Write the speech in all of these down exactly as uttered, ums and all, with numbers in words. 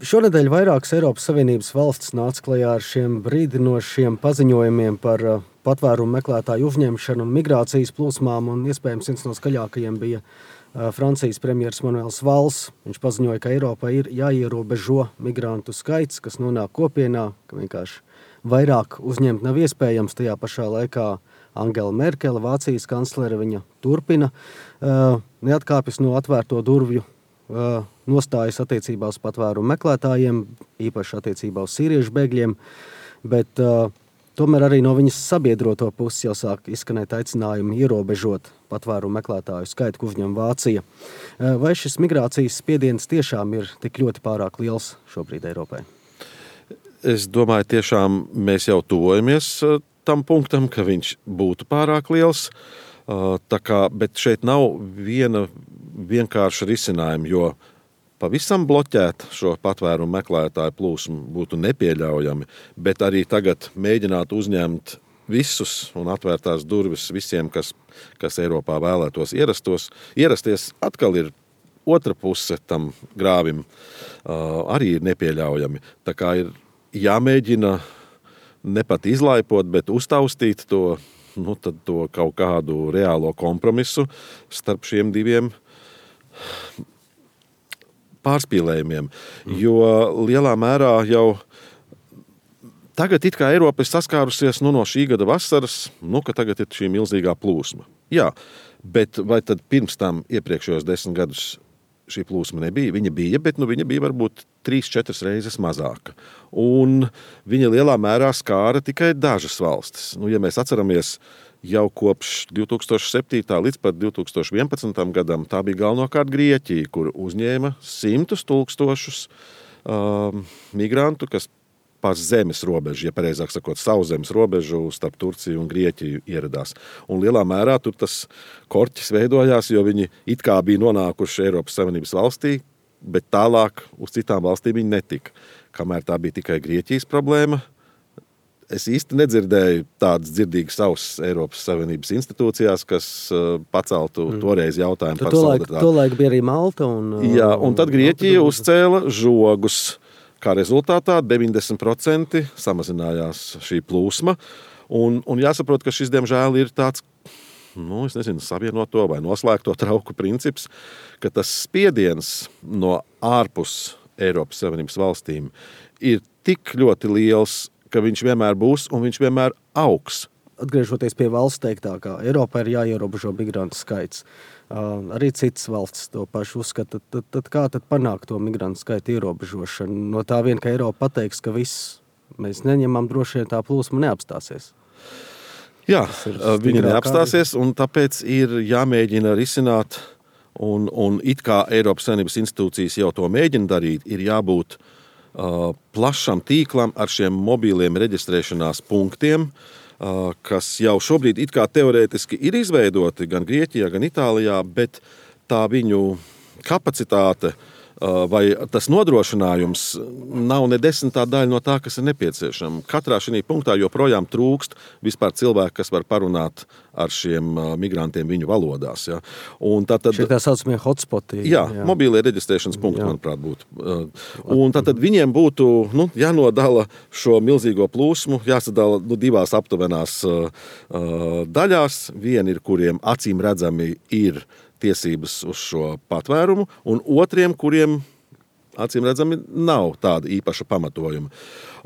Šonedēļ vairākas Eiropas Savienības valstis nāca klajā ar šiem brīdinošiem paziņojumiem par patvērumu meklētāju uzņemšanu un migrācijas plūsmām, un iespējams viens no skaļākajiem bija Francijas premjers Manuels Valls. Viņš paziņoja, ka Eiropā ir jāierobežo migrantu skaits, kas nonāk kopienā, ka vienkārši vairāk uzņemt nav iespējams. Tajā pašā laikā Angela Merkele, Vācijas kanclere, viņa turpina uh, neatkāpjas no atvērto durvju uh, nostājas attiecībā uz patvērumu meklētājiem, īpaši attiecībā uz sīriešu bēgļiem, bet uh, tomēr arī no viņas sabiedroto puses jau sāk izskanēt aicinājumi ierobežot patvērumu meklētāju skaitu, ko uzņem Vācija. Uh, vai šis migrācijas spiediens tiešām ir tik ļoti pārāk liels šobrīd Eiropai? Es domāju, tiešām mēs jau tuvojamies tam punktam, ka viņš būtu pārāk liels. Tā kā, bet šeit nav viena vienkārša risinājuma, jo pavisam bloķēt šo patvērumu meklētāju plūsmu būtu nepieļaujami, bet arī tagad mēģināt uzņemt visus un atvērtās durvis visiem, kas, kas Eiropā vēlētos ierastos. Ierasties atkal ir otra puse tam grāvim, arī ir nepieļaujami. Tā kā ir jāmēģina ne pat izlaipot, bet uztaustīt to, nu, tad to kaut kādu reālo kompromisu starp šiem diviem pārspīlējumiem. Mm. Jo lielā mērā jau tagad it kā Eiropa ir saskārusies nu, no šī gada vasaras, nu, ka tagad ir šī milzīgā plūsma. Jā, bet vai tad pirms tam iepriekšējos desmit gadus šī plūsma nebija? Viņa bija, bet nu, viņa bija varbūt trīs, četras reizes mazāka. Un viņa lielā mērā skāra tikai dažas valstis. Nu, ja mēs atceramies jau kopš divi tūkstoši septītā līdz pat divi tūkstoši vienpadsmitam gadam, tā bija galvenokārt Grieķija, kur uzņēma simtus tūkstošus um, migrantu, kas pa zemes robežu, ja pareizāk sakot, sauszemes robežu starp Turciju un Grieķiju ieradās. Un lielā mērā tur tas korķis veidojās, jo viņi it kā bija nonākuši Eiropas Savienības valstī, bet tālāk uz citām valstīm viņi netika. Kamēr tā bija tikai Grieķijas problēma, es īsti nedzirdēju tādas dzirdīgas ausis Eiropas Savienības institūcijās, kas paceltu mm. toreiz jautājumu tu par solidaritāti. Tolaik bija arī Malta. Un, Jā, un tad Grieķija uzcēla žogus. Kā rezultātā deviņdesmit procenti samazinājās šī plūsma. Un, un jāsaprot, ka šis, diemžēl, ir tāds, nu, es nezinu, savienoto vai noslēgto trauku princips, ka tas spiediens no ārpus Eiropas Savienības valstīm ir tik ļoti liels, ka viņš vienmēr būs un viņš vienmēr augs. Atgriežoties pie valsts teiktākā, Eiropā ir jāierobežo migrantu skaits. Uh, arī citas valstis to pašu uzskata. Tad, tad kā tad panākt to migrantu skaitu ierobežošanu? No tā vien, ka Eiropa pateiks, ka viss mēs neņemam, droši vien tā plūsma neapstāsies. Jā, viņi neapstāsies, un tāpēc ir jāmēģina risināt, un, un it kā Eiropas Savienības institūcijas jau to mēģina darīt, ir jābūt uh, plašam tīklam ar šiem mobīliem reģistrēšanās punktiem, kas jau šobrīd it kā teorētiski ir izveidoti gan Grieķijā, gan Itālijā, bet tā viņu kapacitāte vai tas nodrošinājums nav ne desmitā daļa no tā, kas ir nepieciešama. Katrā šī punktā joprojām trūkst vispār cilvēku, kas var parunāt ar šiem migrantiem viņu valodās. Ja. Un tā tad, šie tā saucamie hotspoti. Jā, jā. Mobīlie reģistrēšanas punkti, jā. Manuprāt, būtu. Un tātad viņiem būtu nu, jānodala šo milzīgo plūsmu, jāsadala nu, divās aptuvenās uh, daļās. Viena ir, kuriem acīm redzami ir tiesības uz šo patvērumu, un otriem, kuriem acīm redzami nav tāda īpaša pamatojuma.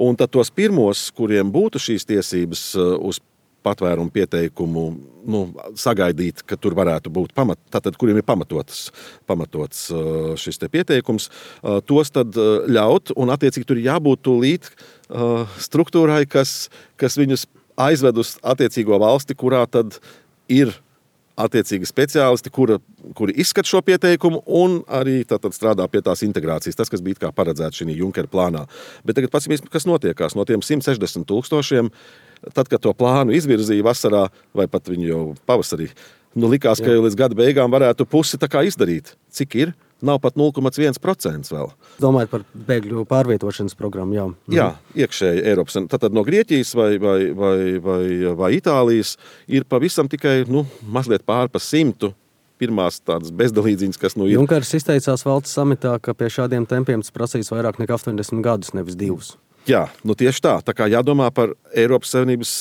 Un tad tos pirmos, kuriem būtu šīs tiesības uz patvērumu pieteikumu, nu, sagaidīt, ka tur varētu būt pamat, tātad, kuriem ir pamatots, pamatots šis te pieteikums, tos tad ļaut, un attiecīgi tur jābūt tūlīt struktūrai, kas, kas viņus aizved uz attiecīgo valsti, kurā tad ir attiecīgi speciālisti, kura, kuri izskat šo pieteikumu un arī tātad strādā pie tās integrācijas, tas, kas bija kā paredzēts šī Junkera plānā. Bet tagad pats, kas notiekās no tiem simt sešdesmit tūkstošiem, tad, kad to plānu izvirzīja vasarā vai pat viņu jau pavasarī, nu likās, ka jau līdz gada beigām varētu pusi tā kā izdarīt. Cik ir? Nav pat nulle komats viens procents vēl. Domājot par bēgļu pārvietošanas programmu, jā. Jā, iekšēji Eiropas. Tātad no Grieķijas vai, vai, vai, vai, vai Itālijas ir pavisam tikai nu, mazliet pār pa simtu pirmās tādas bezdalīdziņas, kas nu ir. Junkers izteicās valsts samitā, ka pie šādiem tempiem tas prasīs vairāk nekā astoņdesmit gadus, nevis divus. Jā, nu tieši tā. Tā kā jādomā par Eiropas Savienības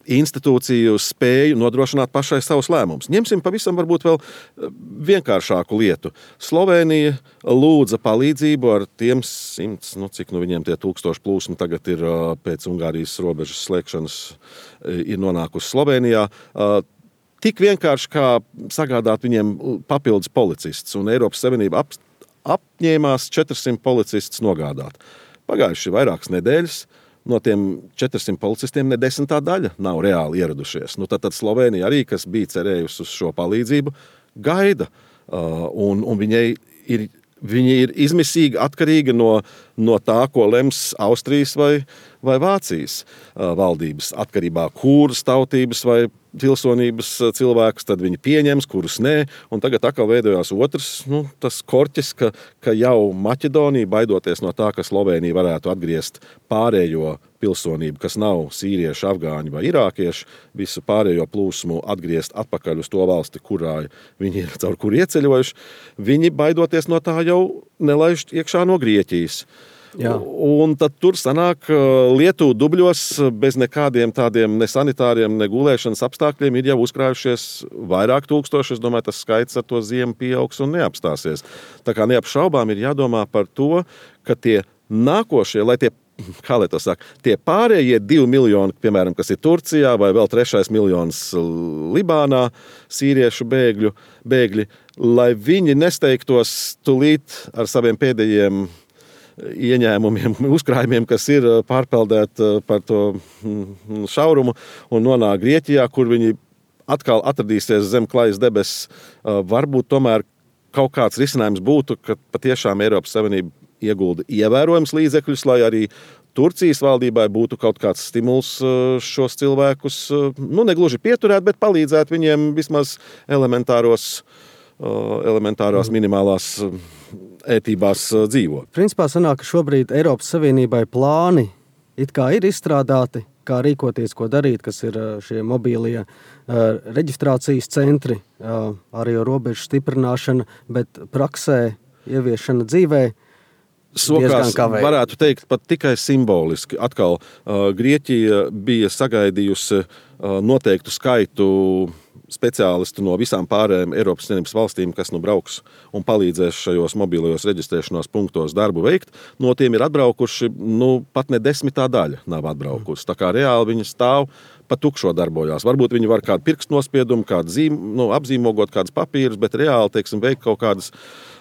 institūciju spēju nodrošināt pašai savus lēmumus. Ņemsim pavisam varbūt vēl vienkāršāku lietu. Slovēnija lūdza palīdzību ar tiem simts, nu cik nu viņiem tie tūkstoši plūsmi tagad ir pēc Ungārijas robežas slēgšanas ir nonākusi Slovēnijā. Tik vienkārši kā sagādāt viņiem papildus policistus, un Eiropas Savienība ap, apņēmās četrsimt policistus nogādāt. Pagājuši vairākas nedēļas. No tiem četrsimt policistiem ne desmitā daļa nav reāli ieradušies. Nu, tad, tad Slovēnija arī, kas bija cerējusi uz šo palīdzību, gaida. Uh, un, un viņai ir, viņa ir izmisīgi atkarīga no, no tā, ko lems Austrijas vai, vai Vācijas uh, valdības. Atkarībā kuras tautības vai pilsonības cilvēkus, tad viņi pieņems, kurus nē, un tagad atkal veidojās otrs, nu, tas korķis, ka, ka jau Maķedonija, baidoties no tā, ka Slovēnija varētu atgriezt pārējo pilsonību, kas nav sīrieši, afgāņi vai irākieši, visu pārējo plūsmu atgriezt atpakaļ uz to valsti, kurā viņi ir caur kur ieceļojuši, viņi baidoties no tā jau nelaiž iekšā no Grieķijas. Jā. Un tad tur sanāk Lietuva dubļos bez nekādiem tādiem ne sanitāriem, ne gulēšanas apstākļiem ir jau uzkrājušies vairāk tūkstoši. Es domāju, tas skaits ar to ziemu pieaugs un neapstāsies. Tā kā neapšaubām ir jādomā par to, ka tie nākošie, lai tie, kā lai to saka, tie pārējie divi miljoni, piemēram, kas ir Turcijā vai vēl trešais miljons Libānā, sīriešu bēgļu, bēgļi, lai viņi nesteigtos tulīt ar saviem pēdējiem ieņēmumiem, uzkrājumiem, kas ir pārpeldēti par to šaurumu un nonāk Grieķijā, kur viņi atkal atradīsies zem klajas debesis. Varbūt tomēr kaut kāds risinājums būtu, ka patiešām Eiropas Savienība iegulda ievērojams līdzekļus, lai arī Turcijas valdībai būtu kaut kāds stimuls šos cilvēkus, nu negluži pieturēt, bet palīdzēt viņiem vismaz elementāros, elementārās minimālās ētībās dzīvo. Principā sanāk, ka šobrīd Eiropas Savienībai plāni it kā ir izstrādāti, kā rīkoties, ko darīt, kas ir šie mobīlie uh, reģistrācijas centri, uh, arī robežu stiprināšana, bet praksē ieviešana dzīvē sokās, varētu teikt, pat tikai simboliski. Atkal uh, Grieķija bija sagaidījusi uh, noteiktu skaitu speciālistu no visām pārējām Eiropas Savienības valstīm, kas nu brauks un palīdzēs šajos mobilajos reģistrēšanās punktos darbu veikt. No tiem ir atbraukuši, nu, pat ne desmitā daļa nav atbraukusi. Tā kā reāli viņi stāv pa tukšo darbojās. Varbūt viņi var kādu pirkstnospiedumu, kādu zīm, nu, apzīmogot kādus papīrus, bet reāli, teiksim, veikt kaut kādas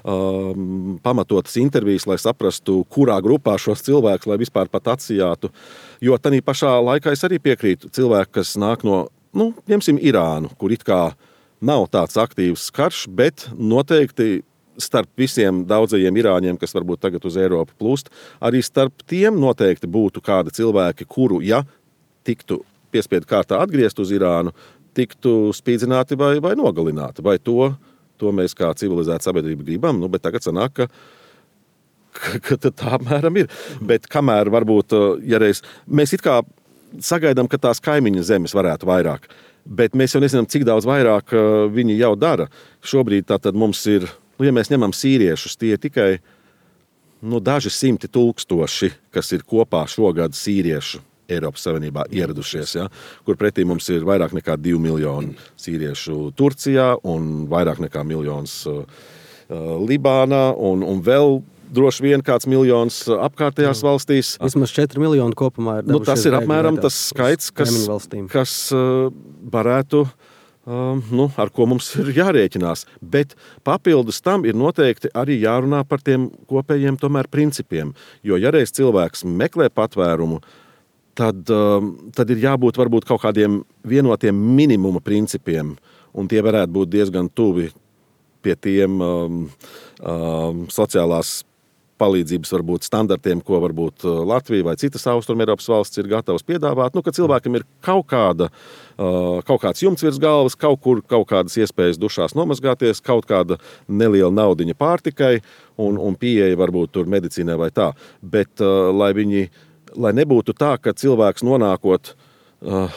um, pamatotas intervijas, lai saprastu, kurā grupā šos cilvēkus, lai vispār pat atsijātu. Jo tanī pašā laikā es arī piekrītu cilvēku, kas nāk no, nu, ņemsim Irānu, kur it kā nav tāds aktīvs karš, bet noteikti starp visiem daudzajiem irāņiem, kas varbūt tagad uz Eiropu plūst, arī starp tiem noteikti būtu kādi cilvēki, kuru, ja tiktu piespiedu kārtā atgriezt uz Irānu, tiktu spīdzināti vai, vai nogalināti. Vai to, to mēs kā civilizēta sabiedrība gribam, nu, bet tagad sanāk, ka, ka, ka tā apmēram ir. Bet kamēr varbūt, ja reiz, mēs it kā sagaidām, ka tās kaimiņu zemes varētu vairāk, bet mēs jau nezinām, cik daudz vairāk viņi jau dara. Šobrīd tātad mums ir, nu, ja mēs ņemam sīriešus, tie tikai nu, daži simti tūkstoši, kas ir kopā šogad sīriešu Eiropas Savienībā ieradušies, ja, kur pretī mums ir vairāk nekā divi miljoni sīriešu Turcijā un vairāk nekā miljons uh, Libānā un, un vēl droši vien kāds miljons apkārtējās valstīs. Vismaz četri miljoni kopumā ir nu, tas ir apmēram tas skaits, kas, kas uh, varētu, uh, nu, ar ko mums ir jārēķinās. Bet papildus tam ir noteikti arī jārunā par tiem kopējiem tomēr principiem. Jo ja reiz cilvēks meklē patvērumu, Tad, tad ir jābūt varbūt kaut kādiem vienotiem minimuma principiem, un tie varētu būt diezgan tuvi pie tiem um, um, sociālās palīdzības varbūt standartiem, ko varbūt Latvija vai citas Austrumēropas valsts ir gatavas piedāvāt, nu, ka cilvēkam ir kaut kāda, uh, kaut kāds jumts virs galvas, kaut kur kaut kādas iespējas dušās nomazgāties, kaut kāda neliela naudiņa pārtikai un, un pieeja varbūt tur medicīnai vai tā, bet uh, lai viņi Lai nebūtu tā, ka cilvēks nonākot uh,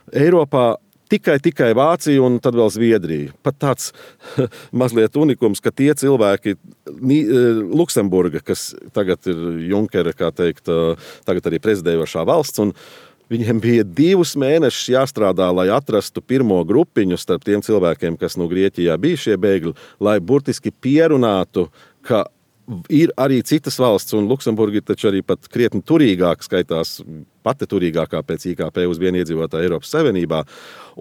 Eiropā tikai, tikai Vācija un tad vēl Zviedrija. Pat tāds mazliet unikums, ka tie cilvēki, Luksemburga, kas tagad ir Junkera, kā teikt, tagad arī prezidējošā valsts, un viņiem bija divus mēnešus jāstrādā, lai atrastu pirmo grupiņu starp tiem cilvēkiem, kas no Grieķijā bija šie bēgļi, lai burtiski pierunātu, ka ir arī citas valsts, un Luksemburga ir taču arī pat krietni turīgāk, skaitās pati turīgākā pēc I K P uz vienu iedzīvotāju Eiropas Savienībā.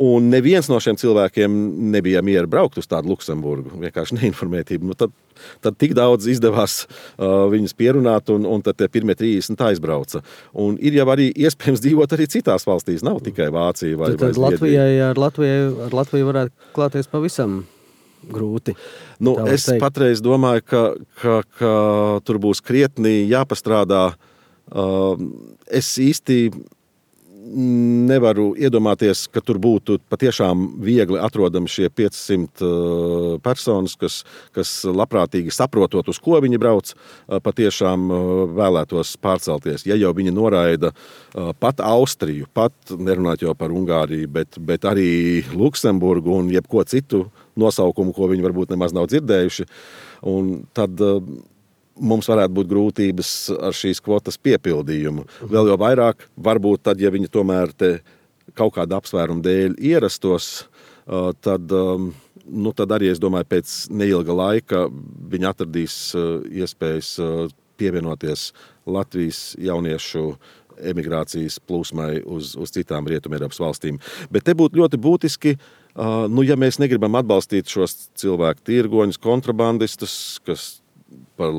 Un neviens no šiem cilvēkiem nebija miera braukt uz tādu Luksemburgu, vienkārši neinformētību. Nu, tad, tad tik daudz izdevās uh, viņus pierunāt, un, un tad tie pirmie trīsdesmit aizbrauca. Un ir jau arī iespējams dzīvot arī citās valstīs, nav tikai Vācija vai, tad, vai Latvijai, ar, Latvijai, ar Latviju varētu klāties pavisam grūti. Nu, es teikt. patreiz domāju, ka, ka, ka tur būs krietni jāpastrādā. Uh, es īsti nevaru iedomāties, ka tur būtu patiešām viegli atrodami šie piecsimt uh, personas, kas, kas labprātīgi saprotot, uz ko viņi brauc, uh, patiešām uh, vēlētos pārcelties. Ja jau viņi noraida uh, pat Austriju, pat nerunāt jau par Ungāriju, bet, bet arī Luksemburgu un jebko citu nosaukumu, ko viņi varbūt nemaz nav dzirdējuši, un tad uh, mums varētu būt grūtības ar šīs kvotas piepildījumu. Vēl jau vairāk, varbūt tad, ja viņi tomēr te kaut kāda apsvēruma dēļ ierastos, tad, nu, tad arī, es domāju, pēc neilga laika viņi atradīs iespējas pievienoties Latvijas jauniešu emigrācijas plūsmai uz, uz citām Rietumu Eiropas valstīm. Bet te būtu ļoti būtiski, nu, ja mēs negribam atbalstīt šos cilvēku tirgoņus, kontrabandistus, kas par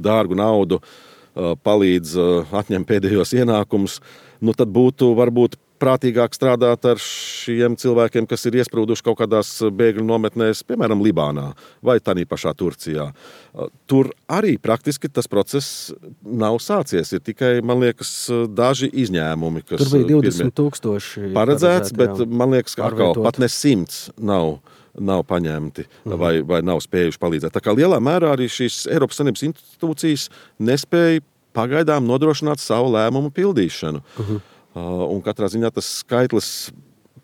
dārgu naudu palīdz atņemt pēdējos ienākumus, nu tad būtu varbūt prātīgāk strādāt ar šiem cilvēkiem, kas ir iesprūduši kaut kādās bēgļu nometnēs, piemēram, Libānā vai tādā pašā Turcijā. Tur arī praktiski tas process nav sācies. Ir tikai, man liekas, daži izņēmumi, kas tur bija divdesmit tūkstoši paredzēts, bet man liekas, ka atkal pat ne simts nav. nav paņemti vai, vai nav spējuši palīdzēt. Tā kā lielā mērā arī šīs Eiropas Savienības institūcijas nespēja pagaidām nodrošināt savu lēmumu pildīšanu. Uh-huh. Uh, un katrā ziņā tas skaitlis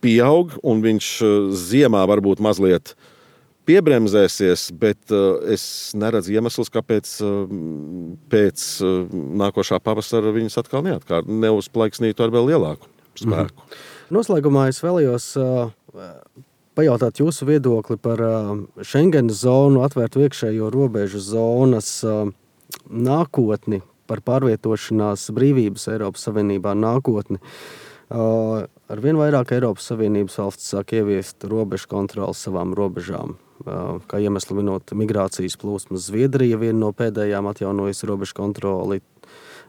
pieaug, un viņš ziemā varbūt mazliet piebremzēsies, bet uh, es neredzu iemeslus, kāpēc uh, pēc uh, nākošā pavasara viņas atkal neatkārt, neuzplaiksnītu ar vēl lielāku spēku. Uh-huh. Noslēgumā es vēlējos uh, pajautāt jūsu viedokli par Schengenas zonu, atvērtu iekšējo robežu zonas nākotni, par pārvietošanās brīvības Eiropas Savienībā nākotni. Ar vien vairāk Eiropas Savienības valsts sāk ieviest robežu kontroli savām robežām. Kā iemeslu minot migrācijas plūsmas, Zviedrija viena no pēdējām atjaunojusi robežu kontroli,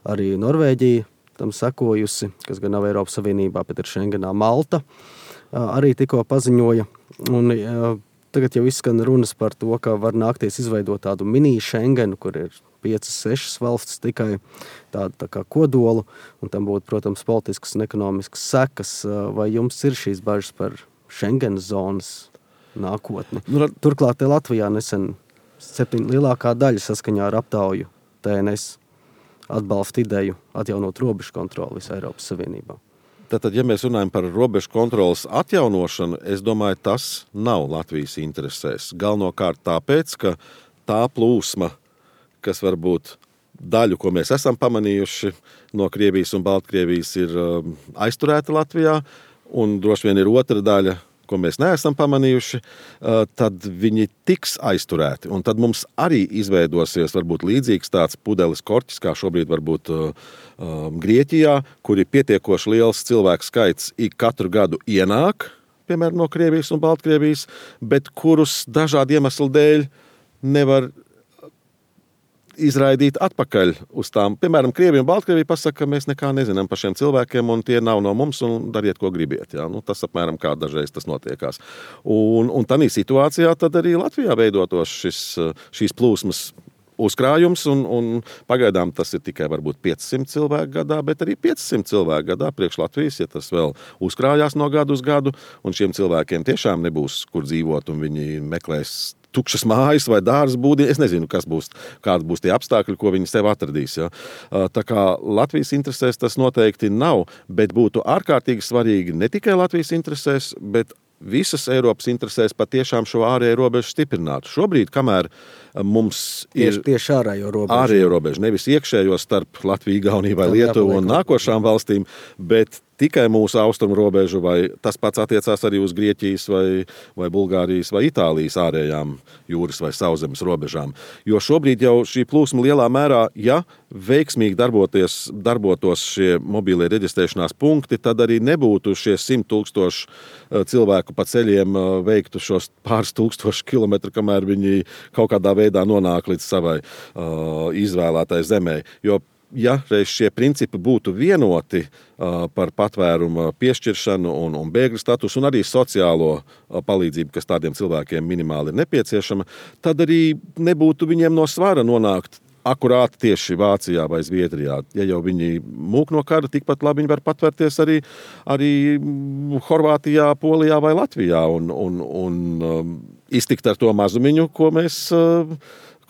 arī Norvēģija tam sekojusi, kas gan nav Eiropas Savienībā, bet ir Schengenā. Malta arī tikko paziņoja. Un tagad jau izskan runas par to, ka var nākties izveidot tādu mini Schengenu, kur ir piecas, sešas valstis tikai tādu tā kā kodolu, un tam būtu, protams, politiskas un ekonomiskas sekas. Vai jums ir šīs bažas par Schengenas zonas nākotni? Turklāt Latvijā nesen septiņi lielākā daļa saskaņā ar aptauju T N S atbalsta ideju atjaunot robežu kontroli visā Eiropas Savienībā. Tātad, ja mēs runājam par robežu kontrolas atjaunošanu, es domāju, tas nav Latvijas interesēs. Galvenokārt tāpēc, ka tā plūsma, kas varbūt daļu, ko mēs esam pamanījuši no Krievijas un Baltkrievijas, ir aizturēta Latvijā, un droši vien ir otra daļa, ko mēs neesam pamanījuši, tad viņi tiks aizturēti. Un tad mums arī izveidosies varbūt līdzīgs tāds pudeles korķis, kā šobrīd varbūt Grieķijā, kur ir pietiekoši liels cilvēku skaits ik katru gadu ienāk, piemēram, no Krievijas un Baltkrievijas, bet kurus dažādu iemeslu dēļ nevar izraidīt atpakaļ uz tām. Piemēram, Krievija un Baltkrievija pasaka, ka mēs nekā nezinām par šiem cilvēkiem, un tie nav no mums, un dariet, ko gribiet. Jā? Nu, tas apmēram kā dažreiz tas notiekās. Un, un tādā situācijā tad arī Latvijā veidotos šis, šīs plūsmas uzkrājums, un, un pagaidām tas ir tikai varbūt piecsimt cilvēku gadā, bet arī piecsimt cilvēku gadā priekš Latvijas, ja tas vēl uzkrājās no gadu uz gadu, un šiem cilvēkiem tiešām nebūs, kur dzīvot, un viņi meklēs tukšas mājas vai dārza būdi. Es nezinu, kas būs, kādi būs tie apstākļi, ko viņi sev atradīs. Ja. Tā kā Latvijas interesēs tas noteikti nav, bet būtu ārkārtīgi svarīgi ne tikai Latvijas interesēs, bet visas Eiropas interesēs patiešām šo ārējo robežu stiprināt. Šobrīd, kamēr mums ir tieši, tieši ārējo robežu. ārējo robežu, nevis iekšējo starp Latviju, Igauniju vai Lietuvu un nākošām valstīm, bet tikai mūsu austrumu robežu, vai tas pats attiecās arī uz Grieķijas vai, vai Bulgārijas vai Itālijas ārējām jūras vai sauszemes robežām. Jo šobrīd jau šī plūsma lielā mērā, ja veiksmīgi darboties, darbotos šie mobīlie reģistrēšanās punkti, tad arī nebūtu šie simt tūkstoši cilvēku pa ceļiem veiktu šos pāris tūkstoši kilometru, kamēr viņi kaut kādā veidā nonāk līdz savai uh, izvēlētai zemē. Jo ja reiz šie principi būtu vienoti uh, par patvērumu piešķiršanu un, un bēgļu statusu un arī sociālo uh, palīdzību, kas tādiem cilvēkiem minimāli ir nepieciešama, tad arī nebūtu viņiem no svara nonākt akurāti tieši Vācijā vai Zviedrijā. Ja jau viņi mūk no kara, tikpat labi viņi var patvērties arī, arī Horvātijā, Polijā vai Latvijā un, un, un um, iztikt ar to mazumiņu, ko mēs uh,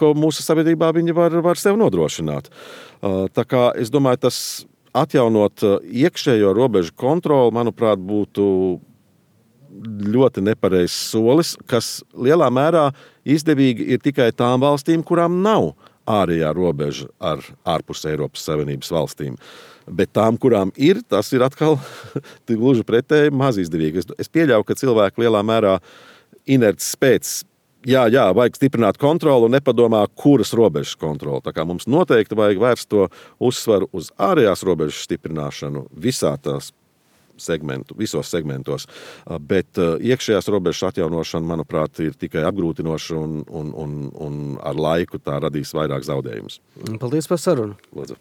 ko mūsu sabiedrībā viņi var, var sev nodrošināt. Tā kā es domāju, tas atjaunot iekšējo robežu kontroli, manuprāt, būtu ļoti nepareizs solis, kas lielā mērā izdevīgi ir tikai tām valstīm, kurām nav ārējā robeža ar ārpus Eiropas Savienības valstīm. Bet tām, kurām ir, tas ir atkal gluži pretēji maz izdevīgi. Es, es pieļauju, ka cilvēki lielā mērā inerts pēc Jā, jā, vajag stiprināt kontroli un nepadomā, kuras robežas kontroli. Tā kā mums noteikti vajag vērst to uzsvaru uz ārējās robežas stiprināšanu visā tās segmentu, visos segmentos. Bet iekšējās robežas atjaunošana, manuprāt, ir tikai apgrūtinoša un, un, un, un ar laiku tā radīs vairāk zaudējumus. Paldies par sarunu. Lūdzu.